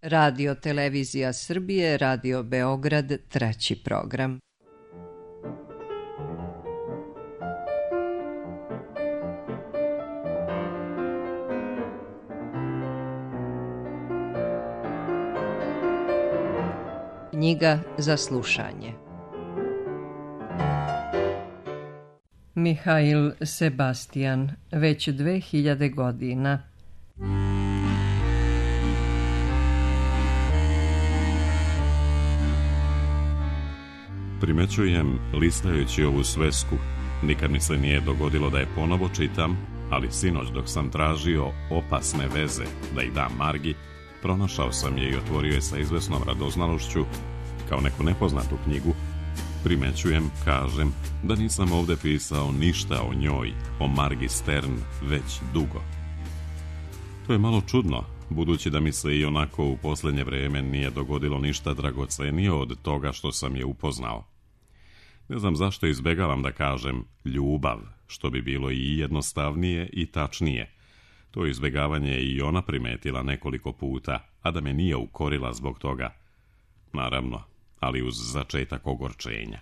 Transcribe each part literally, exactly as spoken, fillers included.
Radio Televizija Srbije, Radio Beograd, treći program. Knjiga za slušanje. Mihail Sebastian, već dve hiljade godina. Primećujem, listajući ovu svesku, nikad mi se nije dogodilo da je ponovo čitam, ali sinoć dok sam tražio opasne veze da ih dam Margi, pronašao sam je i otvorio je sa izvesnom radoznalošću, kao neku nepoznatu knjigu. Primećujem, kažem, da nisam ovdje pisao ništa o njoj, o Margi Stern, već dugo. To je malo čudno, budući da mi se i onako u posljednje vrijeme nije dogodilo ništa dragocenije od toga što sam je upoznao. Ne znam zašto izbjegavam da kažem ljubav, što bi bilo i jednostavnije i tačnije. To izbjegavanje je i ona primetila nekoliko puta, a da me nije ukorila zbog toga. Naravno, ali uz začetak ogorčenja.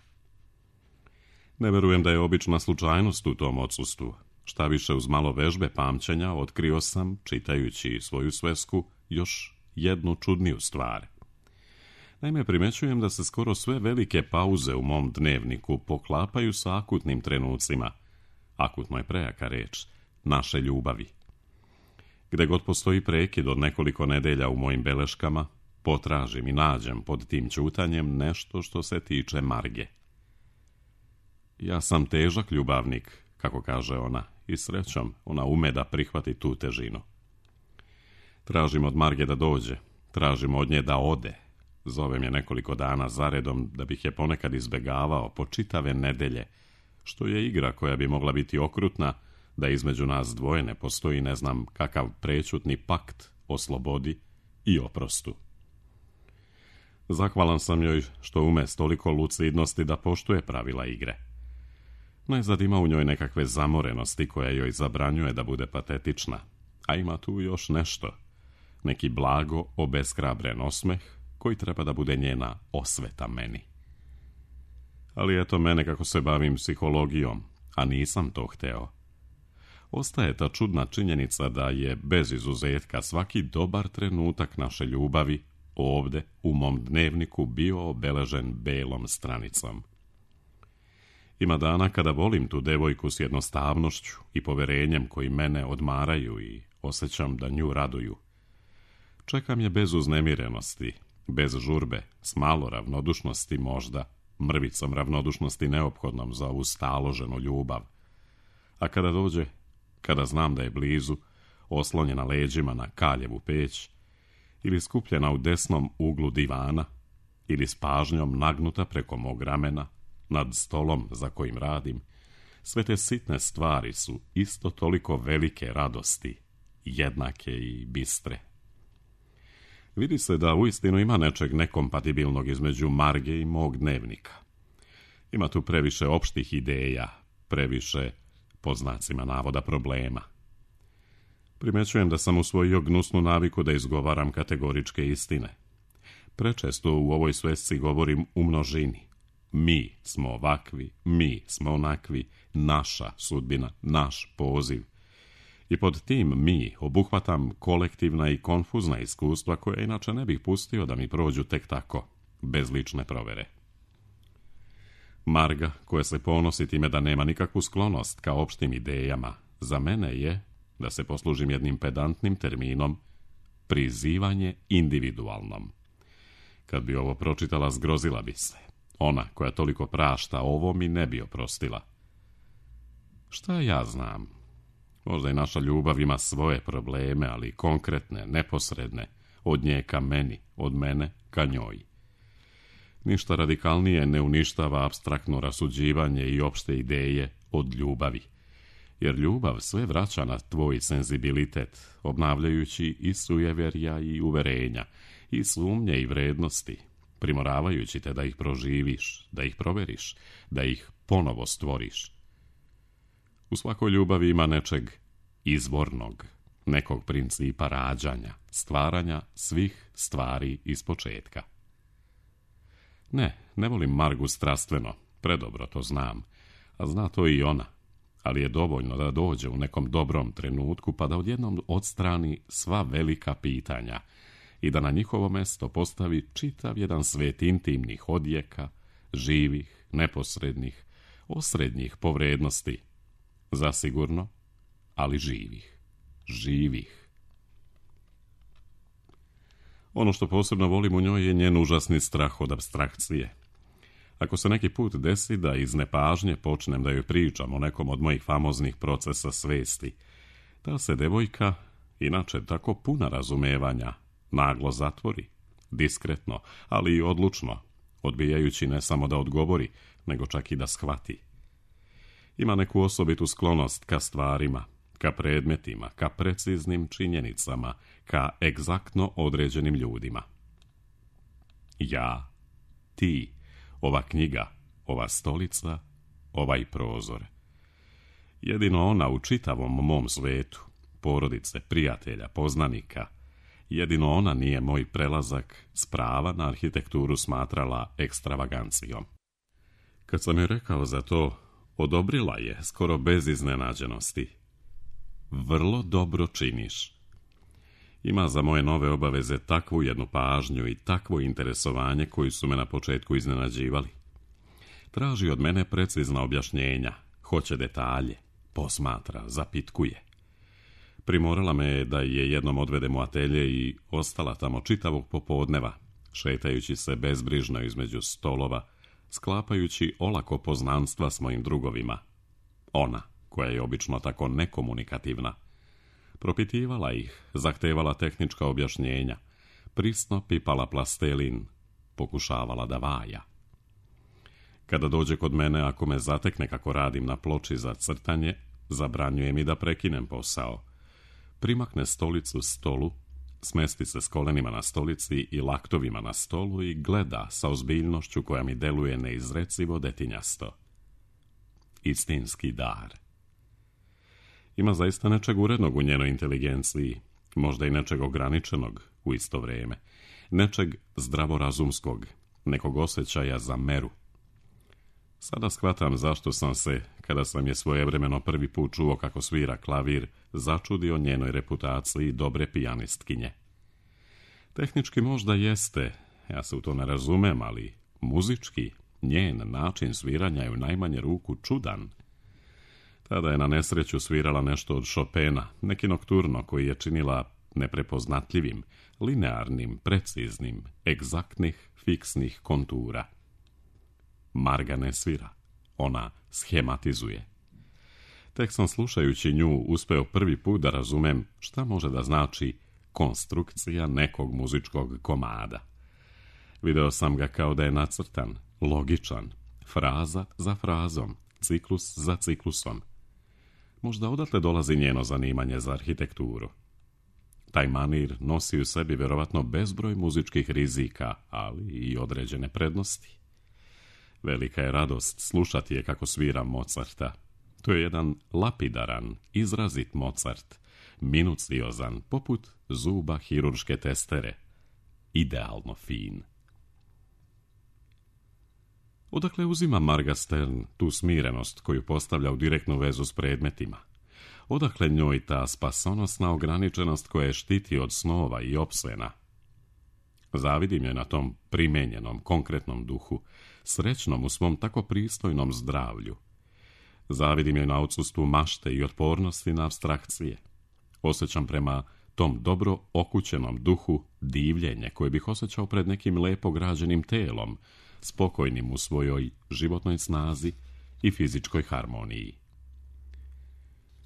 Ne verujem da je obična slučajnost u tom odsustvu. Šta više, uz malo vežbe pamćenja otkrio sam, čitajući svoju svesku, još jednu čudniju stvar. Naime, primećujem da se skoro sve velike pauze u mom dnevniku poklapaju sa akutnim trenucima. Akutno je prejaka reč, naše ljubavi. Gde god postoji prekid od nekoliko nedelja u mojim beleškama, potražim i nađem pod tim ćutanjem nešto što se tiče Marge. Ja sam težak ljubavnik, kako kaže ona, i srećom ona ume da prihvati tu težinu. Tražim od Marge da dođe, tražim od nje da ode. Zovem je nekoliko dana zaredom da bih je ponekad izbjegavao po čitave nedelje, što je igra koja bi mogla biti okrutna, da između nas dvoje ne postoji ne znam kakav prečutni pakt o slobodi i oprostu. Zahvalan sam joj što ume s toliko lucidnosti da poštuje pravila igre. Najzad ima u njoj nekakve zamorenosti koja joj zabranjuje da bude patetična, a ima tu još nešto, neki blago obeshrabren osmeh koji treba da bude njena osveta meni. Ali eto mene kako se bavim psihologijom, a nisam to hteo. Ostaje ta čudna činjenica da je bez izuzetka svaki dobar trenutak naše ljubavi ovde u mom dnevniku bio obeležen belom stranicom. Ima dana kada volim tu devojku s jednostavnošću i poverenjem koji mene odmaraju i osjećam da nju raduju. Čekam je bez uznemirenosti, bez žurbe, s malo ravnodušnosti možda, mrvicom ravnodušnosti neophodnom za ovu staloženu ljubav. A kada dođe, kada znam da je blizu, oslonjena leđima na kaljevu peć, ili skupljena u desnom uglu divana, ili s pažnjom nagnuta preko mog ramena, nad stolom za kojim radim, sve te sitne stvari su isto toliko velike radosti, jednake i bistre. Vidi se da uistinu ima nečeg nekompatibilnog između Marge i mog dnevnika. Ima tu previše opštih ideja, previše, po znacima navoda, problema. Primećujem da sam usvojio gnusnu naviku da izgovaram kategoričke istine. Prečesto u ovoj svesci govorim u množini. Mi smo ovakvi, mi smo onakvi, naša sudbina, naš poziv. I pod tim mi obuhvatam kolektivna i konfuzna iskustva koje inače ne bih pustio da mi prođu tek tako, bez lične provere. Marga, koja se ponosi time da nema nikakvu sklonost ka opštim idejama, za mene je, da se poslužim jednim pedantnim terminom, prizivanje individualnom. Kad bi ovo pročitala, zgrozila bi se. Ona koja toliko prašta, ovo mi ne bi oprostila. Šta ja znam? Možda i naša ljubav ima svoje probleme, ali konkretne, neposredne, od nje ka meni, od mene ka njoj. Ništa radikalnije ne uništava apstraktno rasuđivanje i opšte ideje od ljubavi, jer ljubav sve vraća na tvoj senzibilitet, obnavljajući i sujeverja i uverenja, i sumnje i vrednosti, primoravajući te da ih proživiš, da ih proveriš, da ih ponovo stvoriš. U svakoj ljubavi ima nečeg izvornog, nekog principa rađanja, stvaranja svih stvari iz početka. Ne, ne volim Margu strastveno, predobro to znam, a zna to i ona, ali je dovoljno da dođe u nekom dobrom trenutku pa da odjednom odstrani sva velika pitanja i da na njihovo mesto postavi čitav jedan svet intimnih odjeka, živih, neposrednih, osrednjih po vrednosti, zasigurno, ali živih, živih. Ono što posebno volim u njoj je njen užasni strah od apstrakcije. Ako se neki put desi da iz nepažnje počnem da joj pričam o nekom od mojih famoznih procesa svesti, ta se devojka, inače tako puna razumevanja, naglo zatvori, diskretno, ali i odlučno, odbijajući ne samo da odgovori, nego čak i da shvati. Ima neku osobitu sklonost ka stvarima, ka predmetima, ka preciznim činjenicama, ka egzaktno određenim ljudima. Ja, ti, ova knjiga, ova stolica, ovaj prozor. Jedino ona u čitavom mom svetu, porodice, prijatelja, poznanika, jedino ona nije moj prelazak s prava na arhitekturu smatrala ekstravagancijom. Kad sam joj rekao za to, odobrila je skoro bez iznenađenosti. Vrlo dobro činiš. Ima za moje nove obaveze takvu jednu pažnju i takvo interesovanje koji su me na početku iznenađivali. Traži od mene precizna objašnjenja, hoće detalje, posmatra, zapitkuje. Primorala me je da je jednom odvedem u atelje i ostala tamo čitavog popodneva, šetajući se bezbrižno između stolova, sklapajući olako poznanstva s mojim drugovima. Ona, koja je obično tako nekomunikativna, propitivala ih, zahtevala tehnička objašnjenja, prisno pipala plastelin, pokušavala da vaja. Kada dođe kod mene, ako me zatekne kako radim na ploči za crtanje, zabranjuje mi da prekinem posao. Primakne stolicu stolu, smesti se s kolenima na stolici i laktovima na stolu i gleda sa ozbiljnošću koja mi deluje neizrecivo detinjasto. Istinski dar. Ima zaista nečeg urednog u njenoj inteligenciji, možda i nečeg ograničenog u isto vrijeme, nečeg zdravorazumskog, nekog osjećaja za meru. Sada shvatam zašto sam se, kada sam je svojevremeno prvi put čuo kako svira klavir, začudio njenoj reputaciji dobre pijanistkinje. Tehnički možda jeste, ja se u to ne razumem, ali muzički, njen način sviranja je u najmanje ruku čudan. Tada je na nesreću svirala nešto od Chopina, neki nokturno koji je činila neprepoznatljivim, linearnim, preciznim, egzaktnih, fiksnih kontura. Marga ne svira, ona schematizuje. Tek sam slušajući nju uspeo prvi put da razumem šta može da znači konstrukcija nekog muzičkog komada. Video sam ga kao da je nacrtan, logičan, fraza za frazom, ciklus za ciklusom. Možda odatle dolazi njeno zanimanje za arhitekturu. Taj manir nosi u sebi vjerovatno bezbroj muzičkih rizika, ali i određene prednosti. Velika je radost slušati je kako svira Mozarta. To je jedan lapidaran, izrazit Mozart, minuciozan, poput zuba hirurške testere. Idealno fin. Odakle uzima Marga Stern tu smirenost koju postavlja u direktnu vezu s predmetima? Odakle njoj ta spasonosna ograničenost koja je štiti od snova i opsena? Zavidim je na tom primenjenom, konkretnom duhu, srećnom u svom tako pristojnom zdravlju. Zavidim je na odsustvu mašte i otpornosti na apstrakcije. Osjećam prema tom dobro okućenom duhu divljenje koje bih osjećao pred nekim lepo građenim telom, spokojnim u svojoj životnoj snazi i fizičkoj harmoniji.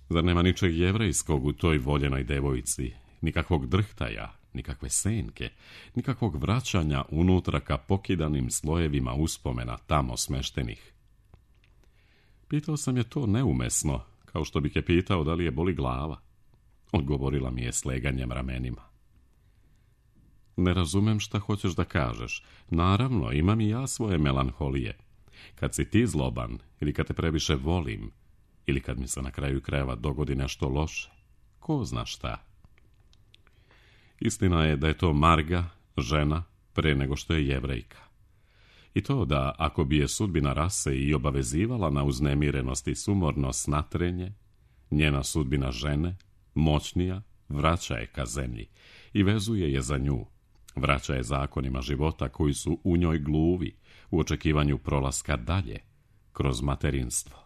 Zar nema ničeg jevrejskog u toj voljenoj devojci, nikakvog drhtaja, nikakve senke, nikakvog vraćanja unutra ka pokidanim slojevima uspomena tamo smeštenih? Pitao sam je to neumesno, kao što bih je pitao da li je boli glava. Odgovorila mi je sleganjem ramenima. Ne razumem šta hoćeš da kažeš. Naravno, imam i ja svoje melanholije. Kad si ti zloban, ili kad te previše volim, ili kad mi se na kraju krajeva dogodi nešto loše, ko zna šta. Istina je da je to Marga, žena, pre nego što je Jevrejka. I to da, ako bi je sudbina rase i obavezivala na uznemirenost i sumorno snatrenje, njena sudbina žene, moćnija, vraća je ka zemlji i vezuje je za nju, vraća je zakonima života koji su u njoj gluvi, u očekivanju prolaska dalje, kroz materinstvo.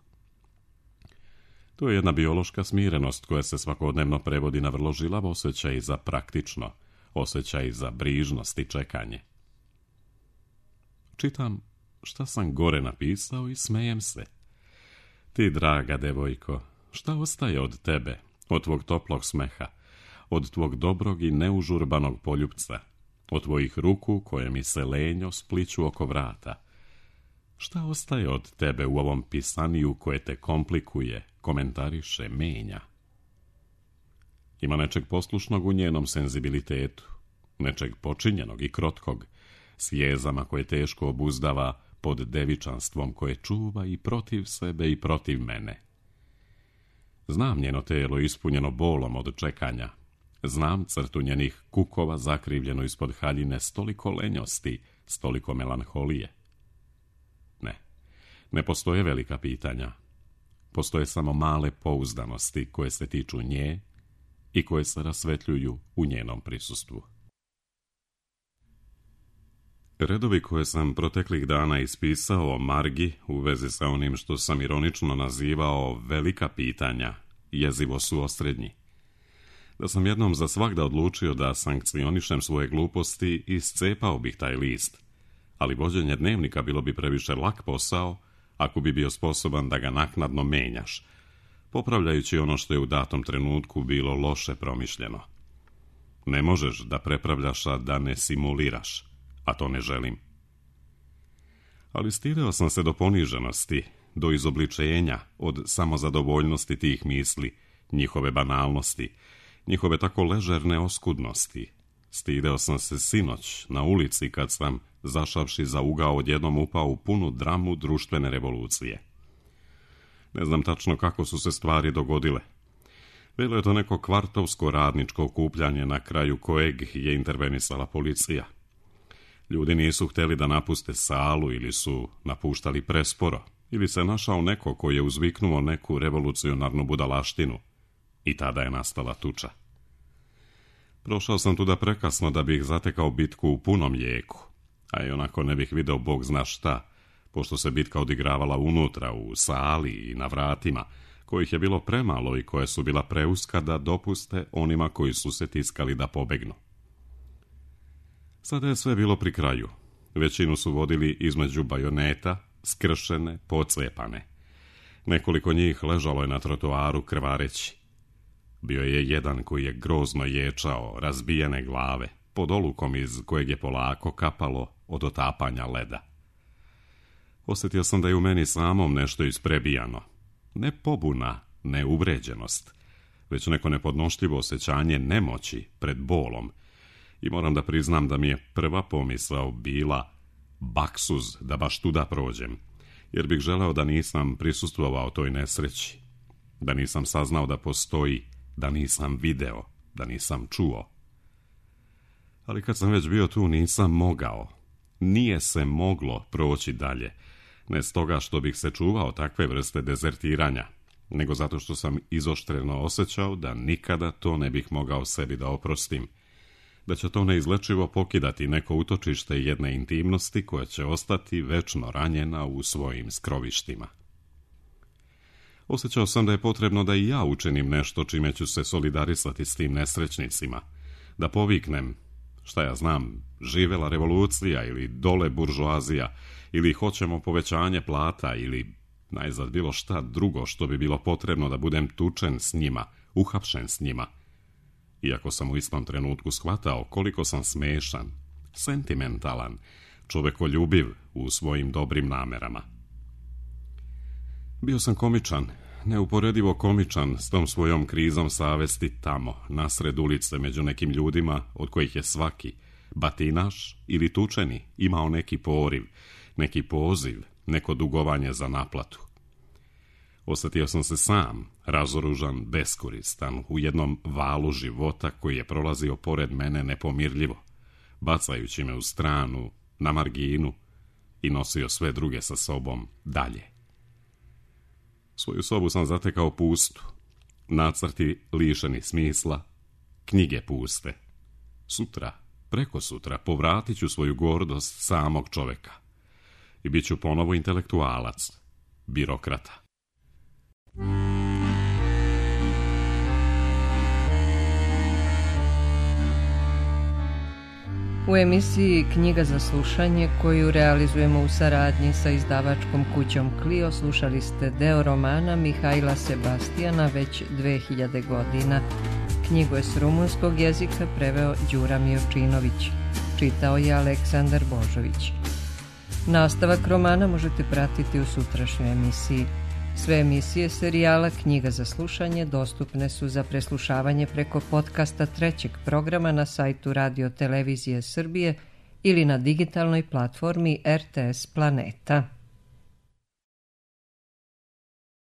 To je jedna biološka smirenost koja se svakodnevno prevodi na vrlo žilav osjećaj za praktično, osjećaj za brižnost i čekanje. Čitam šta sam gore napisao i smejem se. Ti, draga devojko, šta ostaje od tebe, od tvog toplog smeha, od tvog dobrog i neužurbanog poljupca, od tvojih ruku koje mi se lenjo spliću oko vrata? Šta ostaje od tebe u ovom pisaniju koje te komplikuje, komentariše, menja? Ima nečeg poslušnog u njenom senzibilitetu, nečeg počinjenog i krotkog, s jezama koje teško obuzdava pod devičanstvom koje čuva i protiv sebe i protiv mene. Znam njeno telo ispunjeno bolom od čekanja, znam crtu njenih kukova zakrivljeno ispod haljine s toliko lenjosti, s toliko melanholije. Ne, ne postoje velika pitanja. Postoje samo male pouzdanosti koje se tiču nje i koje se rasvetljuju u njenom prisustvu. Redovi koje sam proteklih dana ispisao o Margi u vezi sa onim što sam ironično nazivao velika pitanja, jezivo su osrednji. Da sam jednom za svagda odlučio da sankcionišem svoje gluposti, iscepao bih taj list, ali vođenje dnevnika bilo bi previše lak posao ako bi bio sposoban da ga naknadno menjaš, popravljajući ono što je u datom trenutku bilo loše promišljeno. Ne možeš da prepravljaš, a da ne simuliraš, a to ne želim. Ali stirao sam se do poniženosti, do izobličenja, od samozadovoljnosti tih misli, njihove banalnosti, njihove tako ležerne oskudnosti. Stideo sam se sinoć na ulici kad sam, zašavši za ugao, odjednom upao u punu dramu društvene revolucije. Ne znam tačno kako su se stvari dogodile. Bilo je to neko kvartovsko radničko okupljanje na kraju kojeg je intervenisala policija. Ljudi nisu htjeli da napuste salu ili su napuštali presporo, ili se našao neko koji je uzviknuo neku revolucionarnu budalaštinu i tada je nastala tuča. Prošao sam tuda prekasno da bih zatekao bitku u punom jeku, a i onako ne bih video bog zna šta, pošto se bitka odigravala unutra, u sali i na vratima, kojih je bilo premalo i koje su bila preuska da dopuste onima koji su se tiskali da pobegnu. Sada je sve bilo pri kraju. Većinu su vodili između bajoneta, skršene, pocepane. Nekoliko njih ležalo je na trotoaru krvareći. Bio je jedan koji je grozno ječao, razbijene glave, pod olukom iz kojeg je polako kapalo od otapanja leda. Osjetio sam da je u meni samom nešto isprebijano. Ne pobuna, ne uvređenost, već neko nepodnošljivo osjećanje nemoći pred bolom. I moram da priznam da mi je prva pomisao bila baksuz da baš tuda prođem, jer bih želeo da nisam prisustvovao toj nesreći, da nisam saznao da postoji, da nisam video, da nisam čuo. Ali kad sam već bio tu nisam mogao, nije se moglo proći dalje, ne stoga što bih se čuvao takve vrste dezertiranja, nego zato što sam izoštreno osjećao da nikada to ne bih mogao sebi da oprostim, da će to neizlečivo pokidati neko utočište jedne intimnosti koja će ostati večno ranjena u svojim skrovištima. Osjećao sam da je potrebno da i ja učinim nešto čime ću se solidarisati s tim nesrećnicima, da poviknem, šta ja znam, živela revolucija ili dole buržoazija, ili hoćemo povećanje plata, ili najzad bilo šta drugo što bi bilo potrebno da budem tučen s njima, uhapšen s njima. Iako sam u istom trenutku shvatao koliko sam smešan, sentimentalan, čovekoljubiv u svojim dobrim namerama. Bio sam komičan, neuporedivo komičan s tom svojom krizom savesti tamo, nasred ulice među nekim ljudima od kojih je svaki, batinaš ili tučeni, imao neki poriv, neki poziv, neko dugovanje za naplatu. Osjetio sam se sam, razoružan, beskoristan, u jednom valu života koji je prolazio pored mene nepomirljivo, bacajući me u stranu, na marginu i nosio sve druge sa sobom dalje. Svoju sobu sam zatekao pustu, nacrti lišeni smisla, knjige puste. Sutra, preko sutra, povratit ću svoju gordost samog čoveka i bit ću ponovo intelektualac, birokrata. U emisiji Knjiga za slušanje, koju realizujemo u saradnji sa izdavačkom kućom Clio, slušali ste deo romana Mihaila Sebastijana Već dve hiljade godina. Knjigu je s rumunskog jezika preveo Đura Miočinović. Čitao je Aleksandar Božović. Nastavak romana možete pratiti u sutrašnjoj emisiji. Sve emisije serijala Knjiga za slušanje dostupne su za preslušavanje preko podcasta trećeg programa na sajtu Radio Televizije Srbije ili na digitalnoj platformi R T S Planeta.